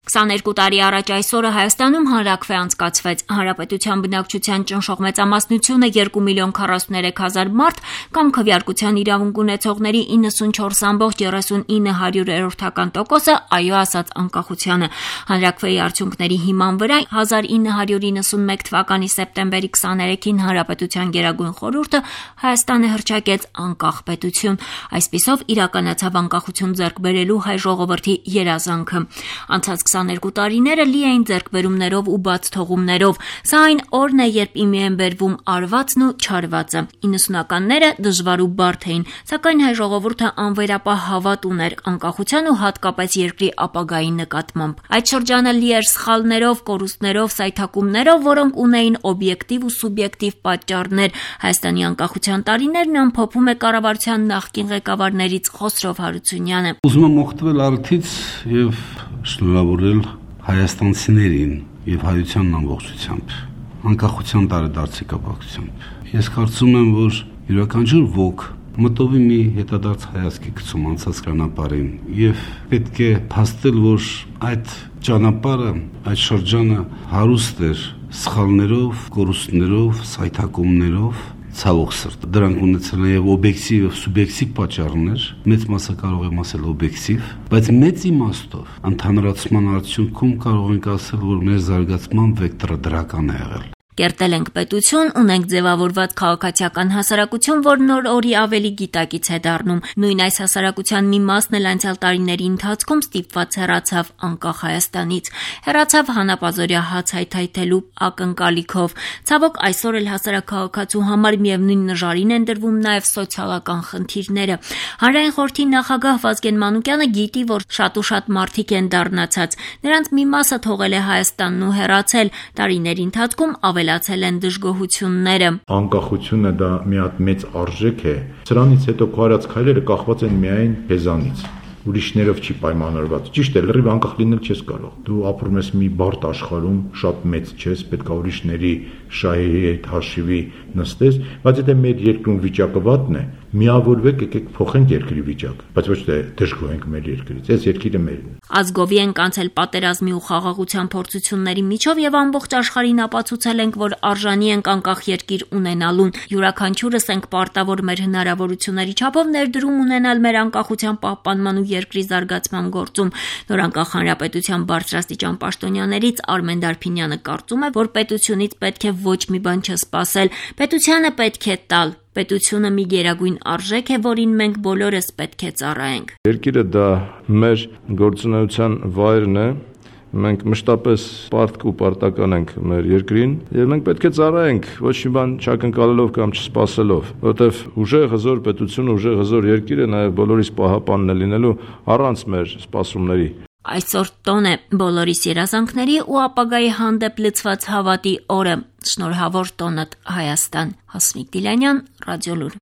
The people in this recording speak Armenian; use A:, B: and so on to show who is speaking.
A: 22 տարի առաջ այսօրը Հայաստանում հանրաքվե անցկացվեց։ Հանրապետության բնակչության ճնշող մեծամասնությունը 2,43,000 մարդ կամ քվեարկության իրավունք ունեցողների 94,39%-ը այո ասաց անկախությանը։ Հանրաքվեի արդյունքների հիման վրա 1991 թվականի սեպտեմբերի 23-ին Հանրապետության Գերագույն խորհուրդը Հայաստանը հռչակեց անկախ պետություն։ Այսպիսով իրականացավ անկախություն ձեռք բերելու հայ ժողովրդի երազանքը։ Անցած 22 տարիները լի էին ձեռքբերումներով ու բաց թողումներով։ Սա այն օրն է, երբ իմի են բերվում արվածն ու չարվածը։ 90-ականները դժվար ու բարդ էին, սակայն հայ ժողովուրդը անվերապահ հավատ ուներ անկախության ու հատկապես երկրի ապագայի նկատմամբ։ Այդ շրջանը լի էր սխալներով, կորուստներով, սայթաքումներով, որոնք ունեին օբյեկտիվ ու սուբյեկտիվ պատճառներ։ Հայաստանի անկախության տարիներն ամփոփում է կառավարության նախկին ղեկավարներից Խոսրով Հարությունյանը։
B: Ուզում եմ օգտվել արդից եւ շնորհավորել հայաստանցիներին եւ հայության ամբողջությամբ անկախության տարեդարձի կապակցությամբ։ Ես կարծում եմ, որ յուրաքանչյուր ոք մտովի մի հետադարձ հայացքի գցում անցած ճանապարհին եւ պետք է փաստել, որ այդ ճանապարհը, այդ շրջանը հարուստ էր սխալներով, կորուստներով, սայթաքումներով, ցավոք սրտի։ Դրանք ունեցել են եւ օբյեկտիվ եւ սուբյեկտիվ պատճառներ, մեծ մասը կարող եմ ասել օբյեկտիվ, բայց մեծ իմաստով ընդհանրացման արդյունքում կարող ենք ասել, որ մեր զարգացման վեկտորը դրական է եղել։
A: Կերտել ենք պետություն, ունենք ձևավորված քաղաքացիական հասարակություն, որն օր-օրի ավելի գիտակից է դառնում։ Նույն այս հասարակության մի մասն էլ անցյալ տարիների ընթացքում ստիպված հեռացավ անկախ Հայաստանից։ Հեռացավ հանապազօրյա հաց հայթայթելու ակնկալիքով։ Ցավոք այսօր էլ հասարակաքաղաքացու համար միևնույն նժարին են դրվում նաև սոցիալական խնդիրները։ Հանրային խորհրդի նախագահ Վազգեն Մանուկյանը գիտի, որ շատ ու շատ մարդիկ են դառնացած։ Նրանց մի մասը թողել է Հայաստանն ու հեռացել։ Տարիների ընթացքում ավելացել են դժգոհությունները։
C: Անկախությունը դա մի հատ մեծ արժեք է։ Սրանից հետո քո արած քայլերը կախված են միայն քեզանից։ Ուրիշներով չի պայմանավորված։ Ճիշտ է, լրիվ անկախ լինել չես կարող։ Դու ապրում ես մի բարդ աշխարհում, շատ մեծ չես, պետք է ուրիշների շահերի հետ հաշիվի նստես, բայց եթե մեր երկրում վիճակը վատն է, միավորվեք, եկեք փոխենք երկրի վիճակը, բայց ոչ թե դժգոհենք մեր երկրից։ Այս երկիրը մերն է։
A: Ազգովի ենք անցել պատերազմի ու խաղաղության փորձությունների միջով եւ ամբողջ աշխարհին ապացուցել ենք, որ արժանի ենք անկախ երկիր ունենալուն։ Յուրաքանչյուրս ենք պարտավոր մեր հնարավորությունների չափով ներդրում ունենալ մեր անկախության պահպանման ու երկրի զարգացման գործում։ Նորանկախ հանրապետության բարձրաստիճան պաշտոնյաներից Արմեն Դարփինյանը կարծում է, որ պետությունից պետք է ոչ մի բան չսպասել։ Պետությանը պետք է տալ։ Պետությունը մի գերագույն արժեք է, որին մենք բոլորս պետք է ծառայենք։
C: Երկիրը դա մեր գործունեության վայրն է։ Մենք մշտապես պարտք ու պարտական ենք մեր երկրին եւ մենք պետք է ծառայենք ոչ մի բան չակնկալելով կամ չսպասելով, որովհետեւ ուժեղ հզոր պետություն, ուժեղ հզոր երկիրը նաեւ բոլորիս պահապանն է լինելու առանց մեր սպասումների։
A: Այսօր տոն է բոլորիս երազանքների ու ապագայի հանդեպ լցված հավատի օրը։ Շնորհավոր տոնդ Հայաստան։ Հասմիկ Դիլանյան, Ռադիոլուր։